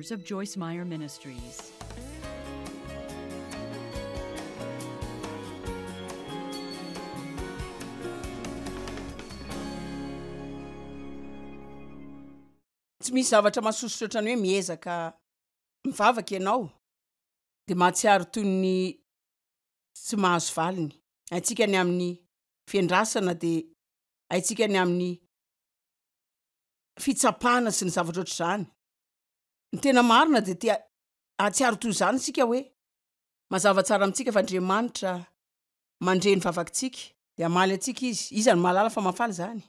headquarters of Joyce Meyer Ministries. Tsy misy zavatra mahasosotra ohatran'ny hoe miezaka mivavaka ianao dia mahatsiaro toy ny tsy mahazo valiny. Haintsika ny amin'ny fiandrasana dia haintsika ny amin'ny fitsapana sy ny zavatra ohatr'izany. Ny tena marina dia te hahatsiaro toy izany isika hoe mazava tsara amintsika fa Andriamanitra mandre ny vavakitsika dia hamaly antsika Izy. Iza no mahalala fa mahafaly izany?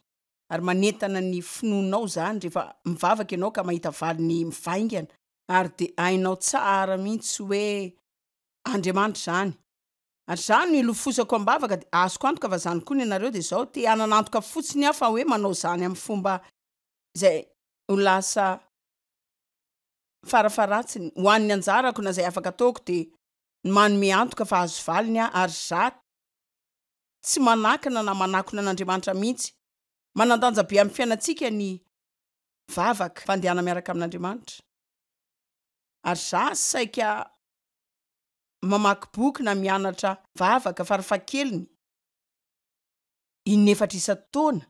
Ary manentana ny finoanao izany rehefa mivavaka ianao ka mahita valiny mivaingana ary dia hainao tsara mihitsy hoe Andriamanitra izany. Ary izany no ilofosako am-bavaka dia azoko antoka fa izany koa ny anareo dia izao, te hanana antoka fotsiny aho fa hoe manao izany amin'ny fomba izay ho lasa farafaharatsiny ho an'ny anjarako na izay afaka ataoko dia ny manome antoka fa azo valiny aho ary za tsy manakana na manakona an'Andriamanitra mihitsy. Manan-danja be amin'ny fiainantsika ny vavaka, fandehana miaraka amin'Andriamanitra. Ary za saika mamaky boky na mianatra vavaka farafahakeliny inefatra isan-taona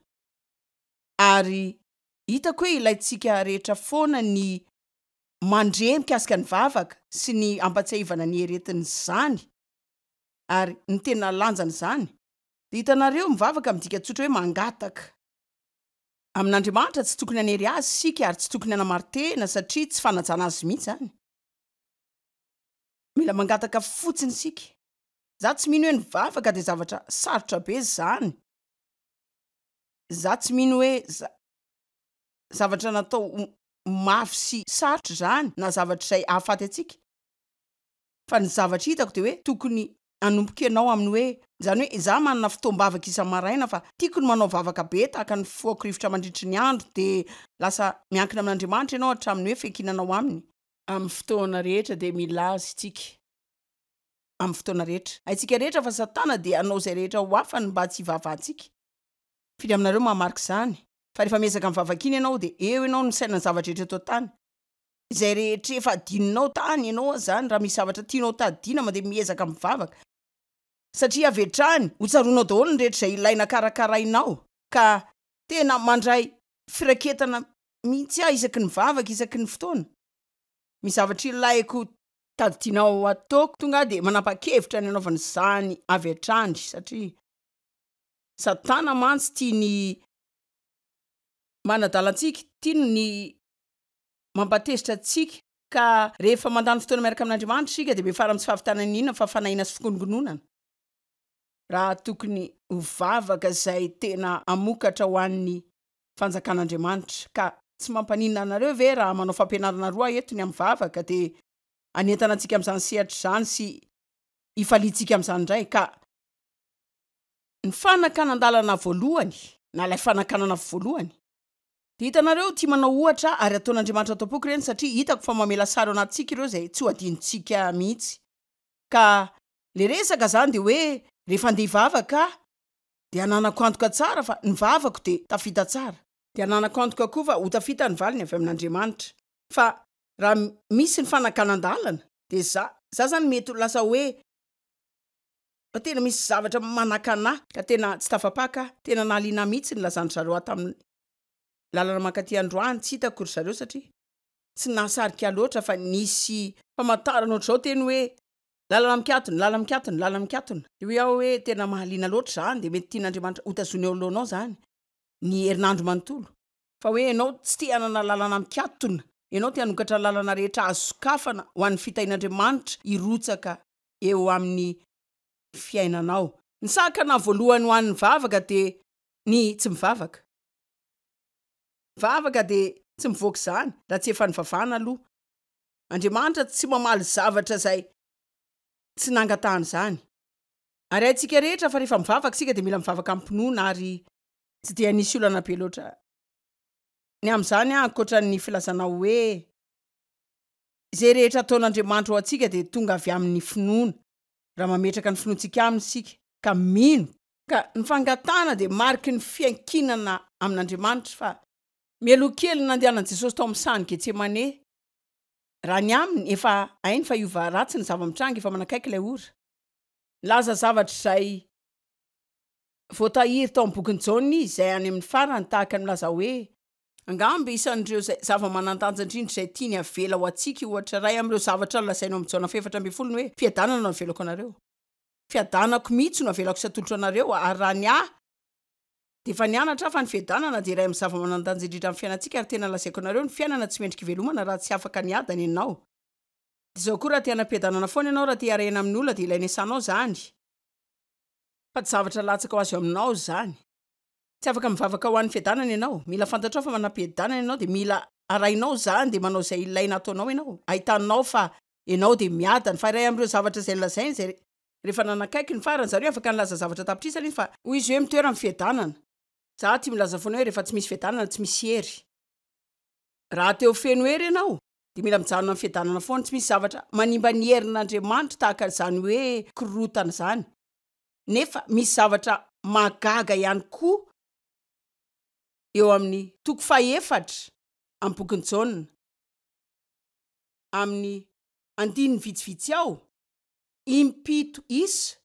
ary hitako hoe ilaintsika rehetra foana ny mandre mikasika ny vavaka sy ny ampatsiahivana ny heretin'izany ary ny tena lanjan'izany dia hitanareo mivavaka midika tsotra hoe mangataka amin'Andriamanitra tsy tokony hanery azy isika ary tsy tokony hanamari-tena satria tsy fanajana azy mihitsy izany. Mila mangataka fotsiny isika. Za tsy mino hoe ny vavaka dia zavatra sarotra be zany. Za tsy mino hoe zavatra natao ho mafy sy sarotra izany na zavatra izay hahafaty antsika. Fa ny zavatra hitako dia hoe tokony hanomboka ianao amin'ny hoe, izany hoe za manana fotoam-bavaka isa-maraina fa tiako ny manao vavaka be tahaka ny fifohako rivotra mandritry ny andro dia lasa miankina amin'Andriamanitra ianao hatramin'ny hoe fiankinanao aminy. Amin'ny fotoana rehetra dia mila Azy isika. Amin'ny fotoana rehetra. Haintsika rehetra fa Satana dia hanao izay rehetra ho afany mba tsy hivavahantsika. Firy aminareo mahamarika izany? Fa rehefa miezaka mivavaka iny ianao dia eo ianao no misaina ny zava-drehetra eto an-tany. Izay rehetra efa adinonao tany ianao aza izany, raha misy zavatra tianao tadidiana mandeha miezaka mivavaka. Satria avy hatrany ho tsaroanao daholo ny rehetra izay ilaina karakarainao. Ka tena mandray firaketana mihitsy aho isaky ny mivavaka, isaky ny fotoana. Misy zavatra ilaiko tadidianao ataoko, tonga aho dia manapa-kevitra ny hanaovana izany avy hatrany satria Satana mantsy tia ny manadala antsika, tiany ny mampatezitra antsika ka rehefa mandany fotoana miaraka amin'Andriamanitra isika dia miafara amin'ny tsy fahavitana n'inona fa fanahiana sy fikononkononana. Raha tokony ho vavaka izay tena hamokatra ho an'ny fanjakan'Andriamanitra. Ka tsy mampaninona anareo ve raha manao fampianarana roa aho eto ny amin'ny vavaka dia hanentana antsika amin'izany sehatra izany sy hifaliantsika amin'izany indray? Ka ny fanakanan-dalana voalohany na ilay fanakanana voalohany dia hitanareo tia manao ohatra aho ary ataon'Andriamanitra ato am-poko ireny satria hitako fa mamela sary ao anatintsika ireo izay tsy ho adinontsika mihitsy. Ka le resaka izany dia hoe rehefa andeha hivavaka aho Dia ananako antoka tsara fa ny vavako dia tafita tsara. Dia ananako antoka koa fa ho tafita ny valiny avy amin'Andriamanitra. Fa raha misy ny fanakanan-dalana dia za, za zany mety ho lasa hoe fa tena misy zavatra manakana ahy ka tena tsy tafapaka aho. Tena nahaliana ahy mihitsy ny nilazan-dry zareo ahy tamin'ny lalana mankaty androany, tsy hitako ry zareo satria tsy nahasarika ahy loatra fa nisy famantarana ohatr'izao teny hoe Lalana mikatona, lalana mikatona, lalana mikatona. Dia hoy aho hoe, Tena mahaliana loatra izany, dia mety tian'Andriamanitra hotazonina eo anoloanao izany ny herinandro manontolo. Fa hoe ianao tsy te hanana lalana mikatona, ianao te hanokatra lalana rehetra azo sokafana ho an'ny fitahian'Andriamanitra hirotsaka eo amin'ny fiainanao. Ny sakana voalohany ho an'ny vavaka dia ny tsy mivavaka. Vavaka dia tsy mivoaka izany raha tsy efa nivavahana aloha. Andriamanitra tsy mamaly zavatra izay tsy nangatahana izany. Ary haintsika rehetra fa rehefa mivavaka isika dia mila mivavaka amim-pinoana ary tsy dia nisy olana be loatra ny amin'izany ankoatra ny filazana hoe izay rehetra ataon'Andriamanitra ho antsika dia tonga avy amin'ny finoana raha mametraka ny finoantsika aminy isika ka mino. Ka ny fangatahana dia mariky ny fiankinana amin'Andriamanitra fa mialoha kely ny nandehanan'i Jesosy tao amin'ny sahan'i Getsemane. Raha ny aminy, efa hainy fa hiova ratsy ny zava-mitranga, efa manakaiky ilay ora. Nilaza zavatra izay voatahiry tao amin'ny bokin'i Jaona izy, izay any amin'ny farany, tahaka ny milaza hoe. Angamba isan'ireo izay zava-manan-danja indrindra izay tiany havela ho antsika io ohatra iray amin'ireo zavatra nolazainy ao amin'ny Jaona faha-14 ny hoe, Fiadanana no avelako anareo. Fiadanako mihitsy no avelako sy atolotro anareo, ary raha ny ahy, dia efa nianatra aho fa ny fiadanana dia iray amin'ny zava-manan-danja indrindra amin'ny fiainantsika, ary tena lazaiko anareo, ny fiainana tsy mendrika ivelomana raha tsy afaka niadana ianao. Dia izao koa, raha te hanam-piadanana foana ianao, raha te hiara-hiaina amin'olona, dia ilaina iasanao izany, fa tsy zavatra latsaka ho azy eo aminao izany. Tsy afaka mivavaka ho an'ny fiadanana ianao. Mila fantatrao fa manam-piadanana ianao dia mila arahinao izany dia manao izay ilaina ataonao ianao. Ahitanao fa ianao dia miadana. Fa iray amin'ireo zavatra izay nolazainy izay rehefa nanakaiky ny farany, izany hoe afaka nilaza zavatra an-tapitrisany izy fa hoy izy hoe mitoera amin'ny fiadanana. Za tia milaza foana hoe rehefa tsy misy fiadanana tsy misy hery. Raha te ho feno hery ianao dia mila mijanona amin'ny fiadanana foana. Tsy misy zavatra manimba ny herin'Andriamanitra tahaka izany hoe korontana izany. Nefa misy zavatra mahagaga ihany koa eo amin'ny toko fahefatra amin'ny bokin'i Jaona, amin'ny andininy vitsivitsy ao, impito isa,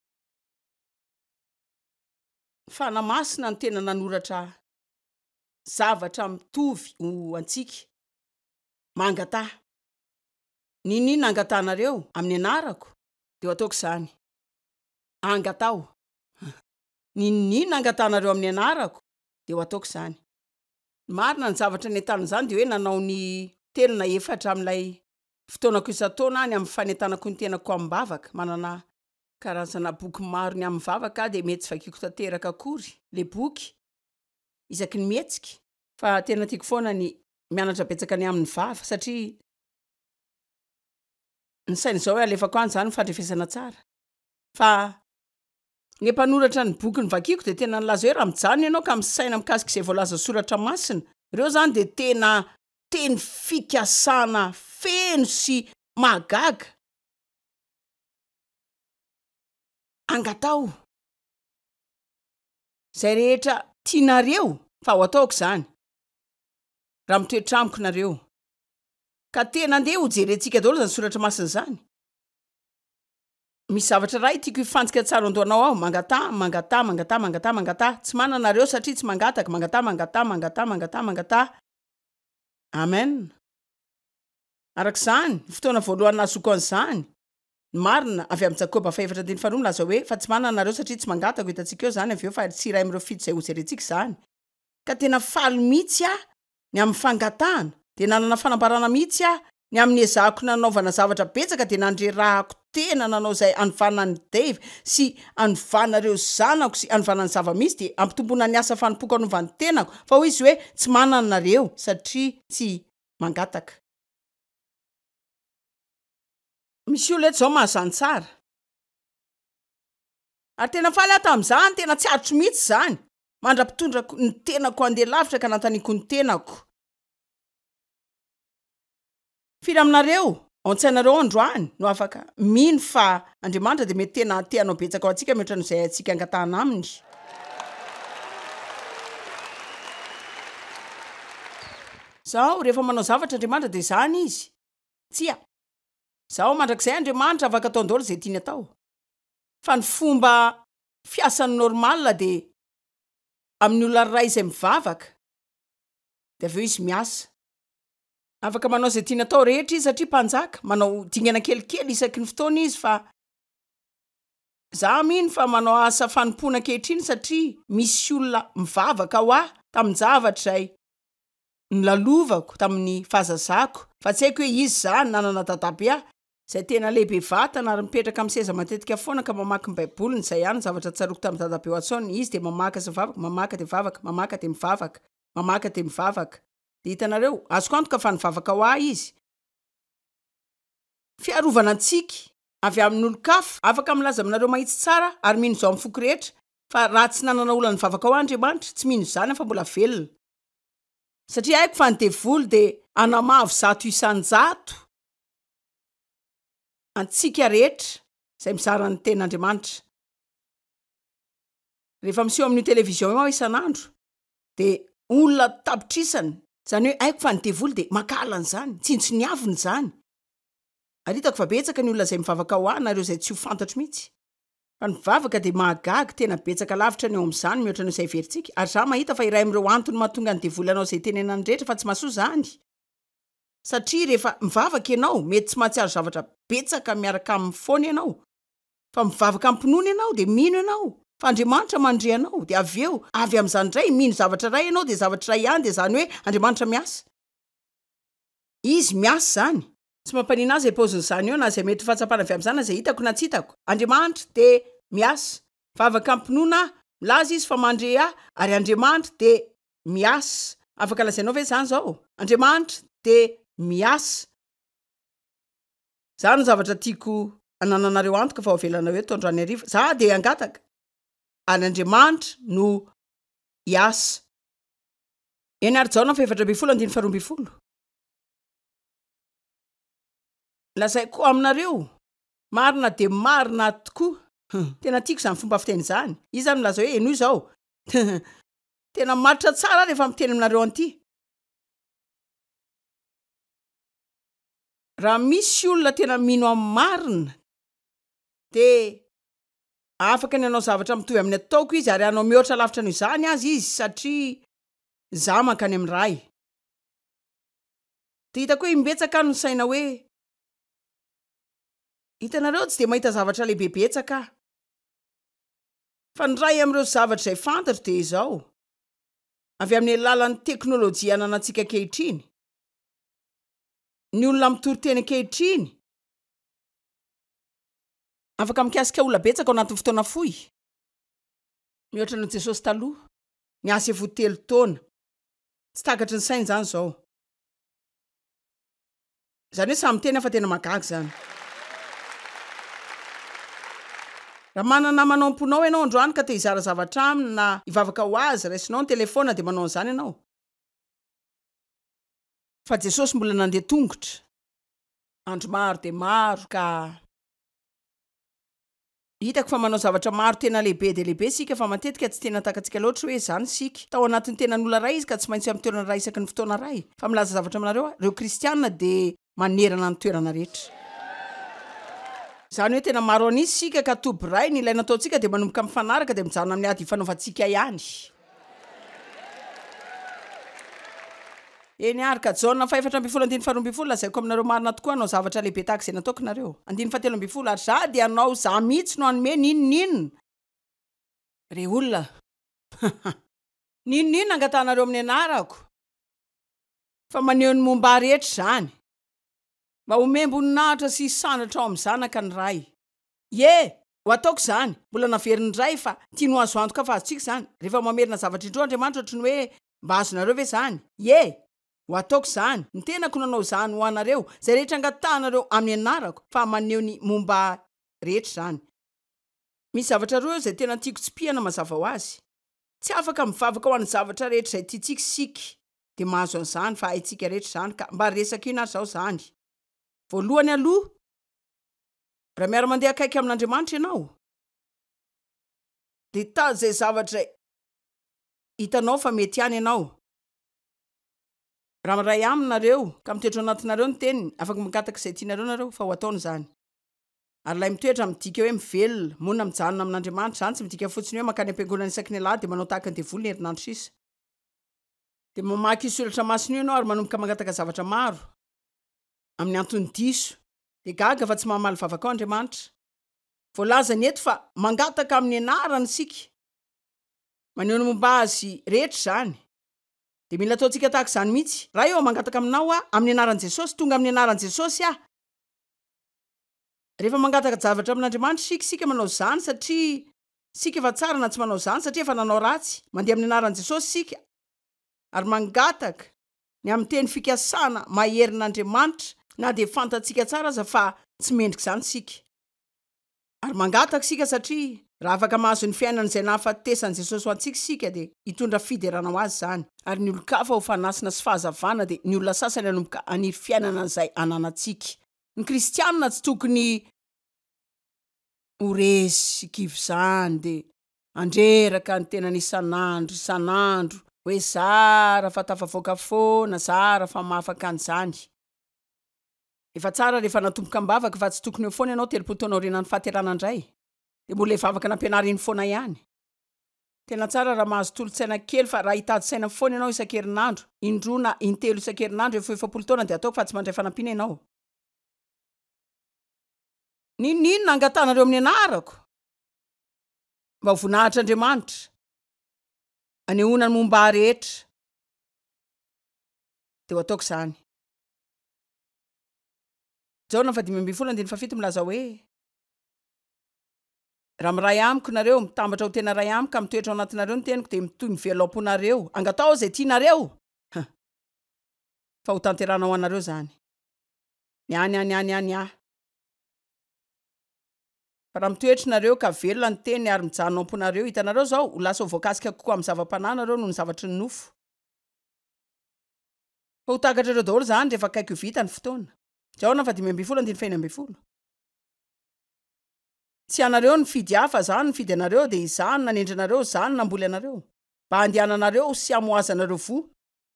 ny Fanahy Masina no tena nanoratra zavatra mitovy ho antsika, Mangataha. N'inon'inona angatahanareo amin'ny anarako, dia ho ataoko izany. Angataho. N'inon'inona angatahanareo amin'ny anarako, dia ho ataoko izany. Ny marina, ny zavatra nentanina izany dia hoe nanao ny telo na efatra amin'ilay fotoanako isan-taona aho ny amin'ny fanentanako ny tenako amim-bavaka. Manana karazana boky maro ny amin'ny vavaka aho dia mety tsy vakiako tanteraka akory ilay boky isaky ny mihetsika. Fa tena tiako foana ny mianatra betsaka ny amin'ny vava satria ny saina izao hoe alefako any izany ny fandrefesana tsara. Fa ny mpanoratra ny boky novakiako dia tena nilaza hoe raha mijanona ianao ka misaina mikasika izay voalazan'ny soratra masina, ireo izany dia tena teny fikasana feno sy mahagaga. Angataho izay rehetra tianareo fa ho ataoko izany raha mitoetra amiko nareo. Ka tena andeha hojerentsika daholo izany soratra masina izany. Misy zavatra iray tiako hifantsika tsara andohanao ao, mangataha, mangataha, mangataha, mangataha, mangataha. Tsy manana nareo satria tsy mangataka, mangataha, mangataha, mangataha, mangataha, mangataha. Amen. Araka izany, ny fotoana voalohany nahazoako an'izany, ny marina, avy amin'i Jakoba fahefatra andininy faharoa milaza hoe, fa tsy manana nareo satria tsy mangataka, ho hitantsika eo izany avy eo fa tsy iray amin'ireo fito izay hojerentsika izany. Ka tena faly mihitsy aho ny amin'ny fangatahana, dia nanana fanambarana mihitsy aho ny amin'ny ezahako nanaovana zavatra betsaka dia nandrerahako tena nanao izay hanovana an'i Dave sy hanovana ireo zanako sy hanovana ny zava-misy dia hampitomboana ny asa fanompoako hanova ny tenako fa hoy izy hoe tsy manana nareo satria tsy mangataka. Misy olona eto izao mahazany tsara. Ary tena faly aho tamin'izany, tena tsy aritro mihitsy izany. Mandra-pitondrako ny tenako handeha lavitra ka nanontaniako ny tenako. Firy aminareo, ao an-tsainareo ao androany, no afaka mino fa Andriamanitra dia mety tena te hanao betsaka ho antsika mihoatra noho izay haintsika angatahana Aminy? Izao, rehefa manao zavatra Andriamanitra dia izany Izy. Tsia. Izao, mandrakizay Andriamanitra afaka ataony daholo izay tiany atao. Fa ny fomba fiasany normal dia amin'ny olona iray izay mivavaka dia avy eo izy miasa. Afaka manao izay tiany atao rehetra izy satria mpanjaka, manao dingana kelikely isaky ny fotoana izy fa za mino fa manao asa fanompoana ankehitriny satria misy olona mivavaka ho ahy tamin-javatra izay nolalovako tamin'ny fahazazako fa tsy haiko hoe iza izany, nanana dadabe aho izay tena lehibe vatana ary mipetraka amin'ny seza matetika foana ka mamaky ny baiboliny, izay ihany ny zavatra tsaroako tamin'i dadabe Watson, izy dia mamaka sy mivavaka, mamaka dia mivavaka, mamaka dia mivavaka, mamaka dia mivavaka. Dia hitanareo, azoko antoka fa nivavaka ho ahy izy. Fiarovana antsika avy amin'olon-kafa. Afaka milaza aminareo mahitsy tsara aho ary mino izao amin'ny foko rehetra fa raha tsy nanana olona nivavaka ho ahy Andriamanitra, tsy mino izany aho fa mbola velona. Satria haiko fa ny devoly dia hanamavo 100% antsika rehetra izay mizara ny tenin'Andriamanitra. Rehefa miseho amin'io télévision io aho isan'andro dia olona tapitrisany, izany hoe haiko fa ny devoly dia mankahala an'izany, tsinontsiniaviny izany. Ary hitako fa betsaka ny olona izay mivavaka ho ahy na ireo izay tsy ho fantatro mihitsy. Fa ny vavaka dia mahagaga, tena betsaka lavitra ny ao amin'izany mihoatra noho izay heverintsika. Ary izaho mahita fa iray amin'ireo antony mahatonga ny devoly hanao izay itenenany rehetra fa tsy mahasoa izany. Satria rehefa mivavaka ianao, mety tsy mahatsiaro zavatra betsaka miaraka aminy foana ianao. Fa mivavaka am-pinoana ianao, dia mino ianao fa Andriamanitra mandre anao. Dia avy eo, avy amin'izany indray, mino zavatra iray ianao, dia zavatra iray ihany, dia izany hoe Andriamanitra miasa. Izy miasa izany. Tsy mampanina ahy izay paozin'izany eo na izay mety ho fahatsapana avy amin'izany na izay hitako na tsy hitako. Andriamanitra dia miasa. Mivavaka am-pinoana aho, milaza Izy fa mandre ahy, ary Andriamanitra dia miasa. Afaka lazainao ve izany izao? Andriamanitra dia miasa. Izany no zavatra tiako hanananareo antoka fa ho avelanao eto androany hariva. Izaho dia hangataka, ary Andriamanitra no hiasa. Eny ary Jaona faha 14 andininy faha 12. Lazaiko aminareo, marina dia marina tokoa. Tena tiako izany fomba fiteny izany. Iza no milaza hoe henoy izao? Tena matotra tsara aho rehefa miteny aminareo an'ity. Raha misy olona tena mino amin'ny marina, dia afaka ny hanao zavatra mitovy amin'ny ataoko izy, ary hanao mihoatra lavitra noho izany aza izy, satria izaho mankany amin'ny Ray. Dia hitako hoe imbetsaka aho no nisaina hoe, Hitanareo, tsy dia mahita zavatra lehibe betsaka aho. Fa ny iray amin'ireo zavatra izay fantatro dia izao, avy amin'ny alalan'ny teknolojia ananantsika ankehitriny, ny olona mitory teny ankehitriny, afaka mikasika olona betsaka ao anatin'ny fotoana fohy, mihoatra noho Jesosy taloha, niasa efa ho telo taona. Tsy takatry ny saina izany izao. Izany hoe samy miteny aho fa tena mahagaga izany. Raha manana namana ao am-ponao ianao androany ka te hizara zavatra aminy na hivavaka ho azy, raisinao ny telefaona dia manao an'izany ianao. Fa Jesosy mbola nandeha tongotra andro maro dia maro ka. Hitako fa manao zavatra maro tena lehibe dia lehibe isika fa matetika tsy tena takatsika loatra hoe izany isika. Tao anatin'ny tenan'olona iray izy ka tsy maintsy amin'ny toerana iray isaky ny fotoana iray. Fa milaza zavatra aminareo aho, ireo kristiana dia manerana ny toerana rehetra. Izany hoe tena maro an'isa isika ka toby iray, ny ilaina ataontsika dia manomboka mifanaraka dia mijanona amin'ny ady ifanaovantsika ihany. Eny àry ka, Jaona faha 14 andininy faha 12, Lazaiko aminareo marina tokoa, hanao zavatra lehibe tahaka izay nataoko nareo. Andininy faha 13, Ary Izaho dia hanao, Izaho mihitsy no hanome n'inon'inona. Rey olona, n'inon'inona angatahanareo amin'ny anarako. Fa maneho ny momba Ahy rehetra izany. Mba homem-boninahitra sy hisandratra ao amin'ny Zanaka ny Ray. Ie, ho ataoko izany. Mbola naveriny indray fa tiany ho azo antoka fa azontsika izany. Rehefa mamerina zavatra indroa Andriamanitra ohatry ny hoe Mba azonareo ve izany? Ie! Ho ataoko izany. Ny tenako no hanao izany ho anareo. Izay rehetra angatahanareo amin'ny anarako, fa maneho ny momba Ahy rehetra izany. Misy zavatra roa eo izay tena tiako tsipihana mazava ho azy. Tsy afaka mivavaka ho an'ny zavatra rehetra izay tiantsika isika dia mahazo an'izany, fa haintsika rehetra izany ka. Mba resaka inona ary izao izany? Voalohany aloha, raha miara-mandeha akaiky amin'Andriamanitra ianao, dia hitady izay zavatra hitanao fa mety ihany ianao. Raha miray aminy nareo, ka mitoetra ao anatinareo ny teniny, afaka mangataka izay tianareo nareo, fa ho ataony izany. Ary ilay mitoetra midika hoe mivelona, monina mijanona amin'Andriamanitra. Izany tsy midika fotsiny hoe mankany am-piangonana isaky ny alahady dia manao tahaka ny devoly ny herinandro sisa. Dia mamaky io soratra masina io ianao ary manomboka mangataka zavatra maro, amin'ny antony diso. Dia gaga fa tsy mahamaly vavaka ao Andriamanitra. Voalazany eto fa mangataka amin'ny anarany isika. Maneho ny momba azy rehetra izany. Dia mila ataontsika tahaka izany mihitsy. Ray ô, mangataka aminao aho, amin'ny anaran'i Jesosy, tonga amin'ny anaran'i Jesosy aho. Rehefa mangataka javatra amin'Andriamanitra isika, isika manao izany satria isika efa tsara na tsy manao izany satria efa nanao ratsy. Mandeha amin'ny anaran'i Jesosy isika ary mangataka ny amin'ny teny fikasana maherin'Andriamanitra na dia fantatsika tsara aza fa tsy mendrika izany isika. Ary mangataka isika satria raha afaka mahazo ny fiainana izay nahafatesan'i Jesosy ho antsika isika dia hitondra fiderana ho Azy izany. Ary ny olon-kafa ho fanasina sy fahazavana dia ny olona sasany hanomboka haniry fiainana izay ananantsika. Ny kristianina tsy tokony ho resy sy kivy izany dia handreraka ny tenany isan'andro isan'andro hoe zara fa tafavoaka foana, zara fa mahafaka an'izany. Efa tsara rehefa natomboka am-bavaka fa tsy tokony eo foana ianao 30 taona aorianan'ny fahaterahana indray dia mbola ilay vavaka nampianariny foana ihany. Tena tsara raha mahazo tolo-tsaina kely fa raha hitady saina foana ianao isan-kerinandro, indroa na intelo isan-kerinandro efa ho 40 taona dia ataoko fa tsy mandray fanampiana ianao. N'inon'inona angatahanareo amin'ny anarako mba ho voninahitr'Andriamanitra, anehoana ny momba ahy rehetra, dia ho ataoko izany. Jaona faha-15 andininy fahafito milaza hoe. Raha miray amiko nareo, mitambatra ho tena iray amiko ka mitoetra ao anatinareo ny teniko, dia mitohy mivelona ao am-ponareo. Angataho izay tianareo! Huh. Fa ho tanterahana ho anareo izany. Ny ahy, ny ahy, ny ahy, ny ahy, ny ahy. Fa raha mitoetra nareo ka velona ny teniny ary mijanona ao am-ponareo, hitanareo izao, ho lasa ho voakasika kokoa amin'ny zava-panahy nareo noho ny zavatry ny nofo. Fa ho takatrareo daholo izany rehefa akaiky ho vita ny fotoana. Jaona faha-15 andininy faha-16. Tsy ianareo no nifidy ahy fa izaho no nifidy anareo, dia izaho no nanendry anareo, izaho no namboly anareo, mba handehananareo sy hamohazanareo voa,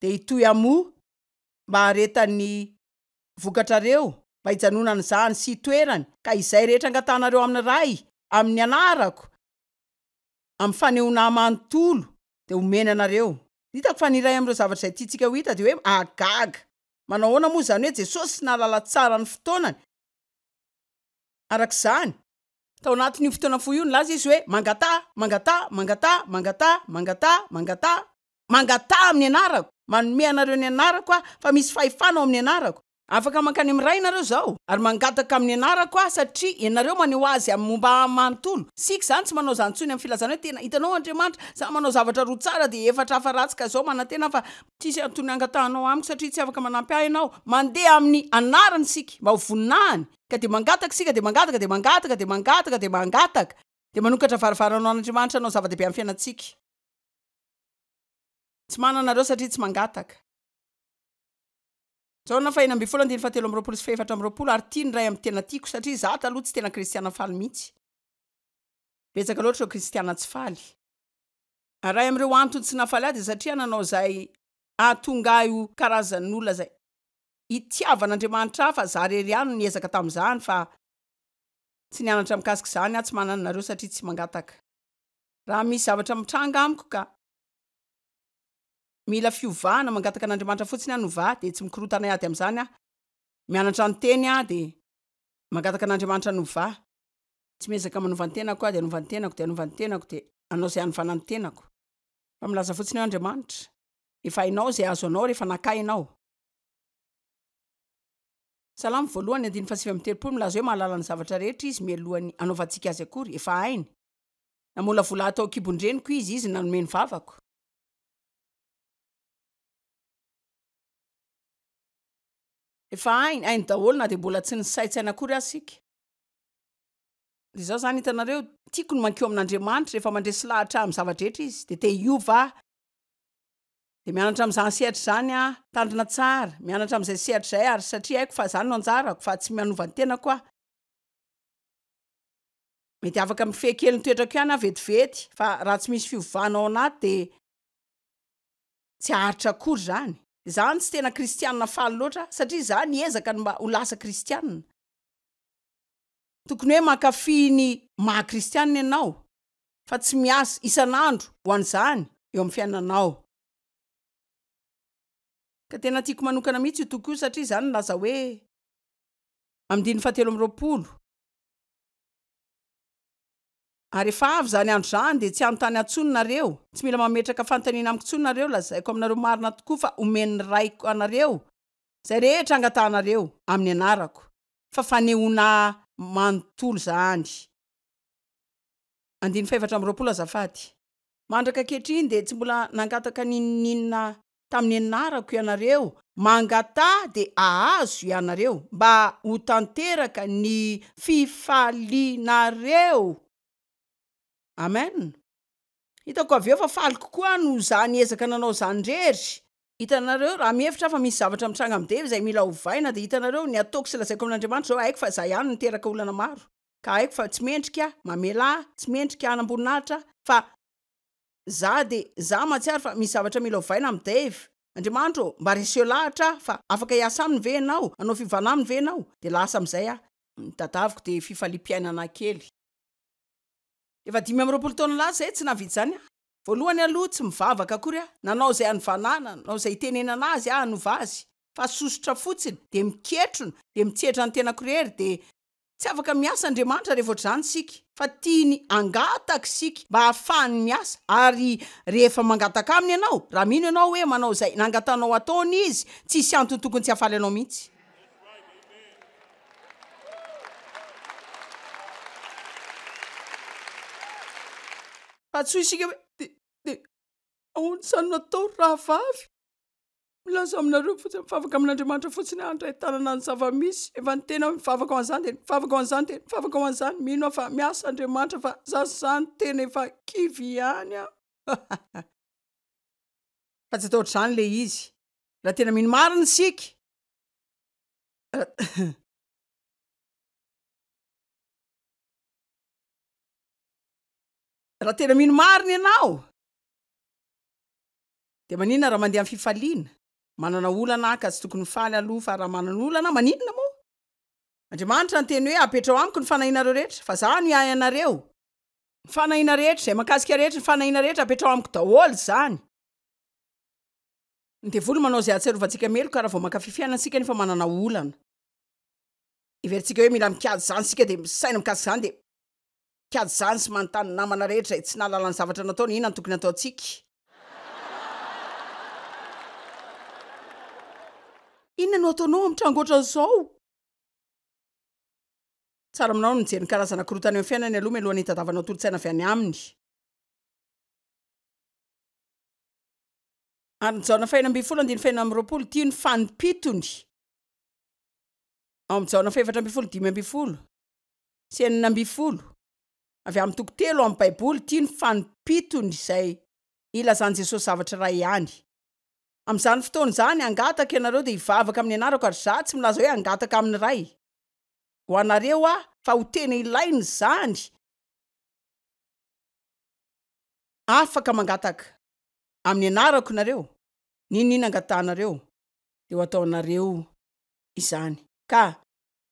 dia hitohy hamoa mba haharetan'ny vokatrareo, mba hijanonan'izany sy hitoerany, ka izay rehetra angatahanareo amin'ny Ray amin'ny anarako, amin'ny fanehoana ahy manontolo, dia homeny anareo. Hitako fa ny iray amin'ireo zavatra izay tiantsika ho hita dia hoe mahagaga. Manao ahoana moa izany hoe Jesosy nahalala tsara ny fotoanany? Araka izany, tao anatin'io fotoana fohy io, nilaza izy hoe, Mangataha, mangataha, mangataha, mangataha, mangataha, mangataha, mangataha amin'ny anarako. Manome anareo ny anarako aho, fa misy fahefana ao amin'ny anarako. Afaka mankany amin'ny Ray ianareo izao, ary mangataka amin'ny anarako aho, satria ianareo maneho azy amin'ny momba ahy manontolo. Isika izany tsy manao izany intsony amin'ny filazana hoe, Tena hitanao Andriamanitra, izaho manao zavatra roa tsara dia efatra hafa ratsy, ka izao manantena aho fa tsisy antony hangatahanao amiko satria tsy afaka manampy ahy ianao. Mandeha amin'ny anarany isika mba ho voninahiny. Ka dia mangataka isika, dia mangataka, dia mangataka, dia mangataka, dia mangataka, dia manokatra varavarana ho an'Andriamanitra hanao zava-dehibe amin'ny fiainantsika. Tsy manana nareo satria tsy mangataka. Jaona faha-16 andininy faha-23 sy faha-24 ary tia ny Ray amin'ny tena tiako satria izaho taloha tsy tena kristiana faly mihitsy. Betsaka loatra ireo kristiana tsy faly. Ary iray amin'ireo antony tsy nahafaly ahy dia satria nanao izay hahatonga ahy ho karazan'olona izay itiavan'Andriamanitra ahy fa za rery ihany no niezaka tamin'izany fa tsy nianatra mikasika izany aho tsy manana anareo satria tsy mangataka. Raha misy zavatra mitranga amiko ka mila fiovana mangataka an'Andriamanitra fotsiny aho no vaha dia tsy mikorotana hiady amin'izany aho. Mianatra ny teny aho dia mangataka an'Andriamanitra no vaha. Tsy miezaka manova ny tenako aho dia hanova ny tenako dia hanova ny tenako dia hanao izay hanovana ny tenako. Fa milaza fotsiny hoe Andriamanitra, efa hainao izay azo anao rehefa naka ahy ianao. Salamo voalohany andininy faha-39 milaza hoe mahalala ny zavatra rehetra izy mialohan'ny hanaovantsika azy akory, efa hainy. Namolavola ahy tao an-kibon-dreniko izy, izy no nanome ny vavako. Efa hainy, hainy daholo na dia mbola tsy nisaintsaina akory aza isika. Dia izao izany, hitanareo, tiako ny mankeo amin'Andriamanitra rehefa mandresy lahatra ahy amin'ny zava-drehetra izy, dia te hiova aho. Dia mianatra amin'izany sehatra izany aho, mitandrina tsara, mianatra amin'izay sehatra izay ary satria haiko fa izany no anjarako, fa tsy manova ny tenako aho. Mety afaka mifehy kely ny toetrako ihany aho vetivety, fa raha tsy misy fiovana ao anaty dia tsy haharitra akory izany. Izany tsy tena kristianina faly loatra satria izaho niezaka ny mba ho lasa kristianina. Tokony hoe mankafy ny maha kristianina ianao. fa tsy miasa isan'andro ho an'izany eo amin'ny fiainanao. Ka tena tiako manokana mihitsy io toko io satria izany milaza hoe amin'ny andininy fahatelo amby 20, Ary efa avy izany andro izany dia tsy hanontany ahy intsony nareo, tsy mila mametraka fanontaniana amiko intsony nareo, lazaiko aminareo marina tokoa fa homen'ny Raiko anareo izay rehetra angatahanareo amin'ny anarako, fa fanehoana ahy manontolo izany. Andininy faha-24 azafady. Mandraka ankehitriny dia tsy mbola nangataka n'inon'inona tamin'ny anarako ianareo, mangataha dia hahazo ianareo, mba ho tanteraka ny fifalianareo. Amen. Hitako avy eo fa faly kokoa aho noho izaho niezaka nanao izany irery. Hitanareo, raha mihevitra aho fa misy zavatra mitranga amin'i Dave izay mila ovaina, dia hitanareo, ny ataoko sy lazaiko amin'Andriamanitra izao, haiko fa izaho ihany no niteraka olana maro. ka haiko fa tsy mendrika aho, mamela ahy, tsy mendrika hanam-boninahitra aho, fa za de, za mahatsiaro fa misy zavatra mila ovaina amin'i Dave. Andriamanitra ô, mba reseo lahatra aho fa afaka hiasa aminy ve ianao? Hanao fiovana aminy ve ianao? Dia lasa amin'izay aho. Ny tadaviko dia fifaliam-piainana kely. Efa 25 taona lasa izay tsy nahavita izany aho. Voalohany aloha tsy mivavaka akory aho. Nanao izay hanovana ahy, nanao izay hitenenana azy aho hanova azy. Fa sosotra fotsiny, dia miketrona, dia mitsetra ny tenako irery, dia Tsy afaka miasa Andriamanitra rehefa ohatr'izany isika, fa tiany hangataka isika mba hahafahany miasa, ary rehefa mangataka Aminy ianao, raha mino ianao hoe manao izay nangatahanao hataony Izy, tsy hisy antony tokony tsy hahafaly anao mihitsy. Fa tsy hoy isika hoe, Dia, dia, ahoana izany no atao ry rahavavy? Milaza aminareo fotsiny, mivavaka amin'Andriamanitra fotsiny aho handray tanana ny zava-misy. Efa niteny aho mivavaka ho an'izany dia mivavaka ho an'izany dia mivavaka ho an'izany. Mino aho fa miasa Andriamanitra fa za izany tena efa kivy ihany aho. Fa tsy atao ohatr'izany ilay izy. Raha tena mino marina isika, raha tena mino marina ianao, Dia maninona raha mandeha amin'ny fifaliana? Manana olana aho ka tsy tokony hifaly aloha fa raha manana olana aho maninona moa? Andriamanitra niteny hoe apetraho amiko ny fanahinareo rehetra fa za no hiahy anareo. Ny fanahiana rehetra, izay mahakasika rehetra, ny fanahiana rehetra apetraho amiko daholo izany. Ny devoly manao izay hahatsiarovantsika meloka raha vao mankafy fiainana isika nefa manana olana. Heverintsika hoe mila mikajy izany isika dia misaina mikasika izany dia mikajy izany sy manontany ny namana rehetra izay tsy nahalala ny zavatra nataony inona no tokony hataontsika. Inona no ataonao amin'ny tranga ohatran'izao? Tsara aminao ny mijery ny karazana korontana eo amin'ny fiainany aloha mialohan'ny hitadiavanao tolo-tsaina avy any aminy. Ary ny Jaona fahenina ambin'ny folo andininy fahenina amby roapolo, ity no fanimpitony ao amin'ny Jaona fahefatra ambin'ny folo 15 sy 16, avy amin'ny toko telo ao amin'ny Baiboly, ity no fanimpitony izay ilazan'i Jesosy zavatra iray ihany. Amin'izany fotoana izany, hangataka ianareo dia hivavaka amin'ny anarako, ary Izaho tsy milaza hoe hangataka amin'ny Ray ho anareo Aho, fa ho tena ilaina izany. Afaka mangataka amin'ny anarako nareo, n'inon'inona angatahanareo, dia ho ataonareo izany. Ka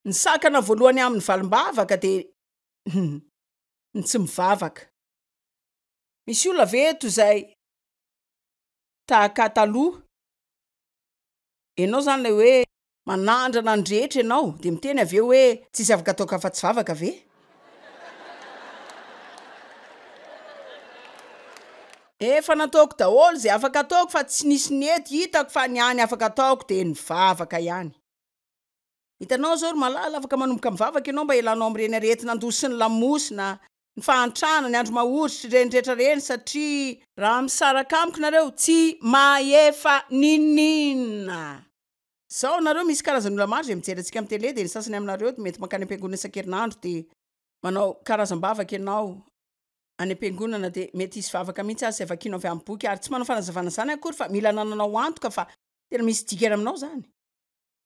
ny sakana voalohany amin'ny valim-bavaka dia ny tsy mivavaka. Misy olona ve eto izay tahaka taloha? Ianao izany ilay hoe manandrana ny rehetra ianao dia miteny avy eo hoe tsisy afaka ataoko afa-tsy vavaka ve? Efa nataoko daholo izay afaka ataoko fa tsy nisy nety hitako fa ny hany afaka ataoko dia ny vavaka ihany. Hitanao izao ry malala, afaka manomboka mivavaka ianao mba hialanao amin'ireny aretina an-doha sy ny lamosina, ny fahantrana, ny andro mahory sy ireny rehetra ireny satria. Raha misaraka amiko nareo tsy mahefa ninoninona. Zao nareo misy karazan'olona maro izay mijery antsika amin'ny tele dia ny sasany aminareo mety mankany am-piangonana isan-kerinandro dia manao karazam-bavaka ianao any am-piangonana dia mety hisy vavaka mihitsy aza izay vakianao avy amin'ny boky ary tsy manao fanazavana izany akory fa mila anananao antoka fa tena misy dikany aminao izany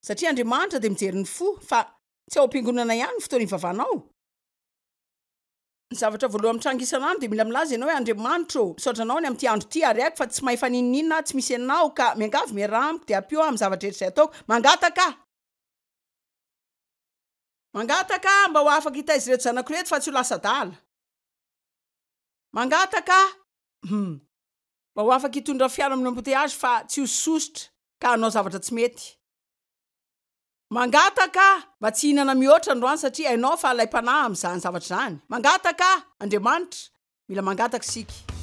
satria Andriamanitra dia mijery ny fo fa tsy ao am-piangonana ihany ny fotoana ivavahanao. Ny zavatra voalohany mitranga isan'andro dia mila milaza ianao hoe Andriamanitra ô, misaotra anao ny amin'ity andro ity ary haiko fa tsy mahefa n'inon'inona aho tsy misy ianao ka miangavy miaraha amiko dia ampio aho amin'ny zavatra rehetra izay ataoko. Mangataka aho. Mangataka aho mba ho afaka hitaiza ireto zanako ireto fa tsy ho lasa adala. Mangataka aho hum mba ho afaka hitondra fiara amin'ny embouteillage fa tsy ho sosotra ka hanao zavatra tsy mety. Mangataka aho mba tsy hihinana mihoatra androany satria hainao fa alaim-panahy amin'izany zavatra izany. Mangataka aho, Andriamanitra, mila mangataka isika.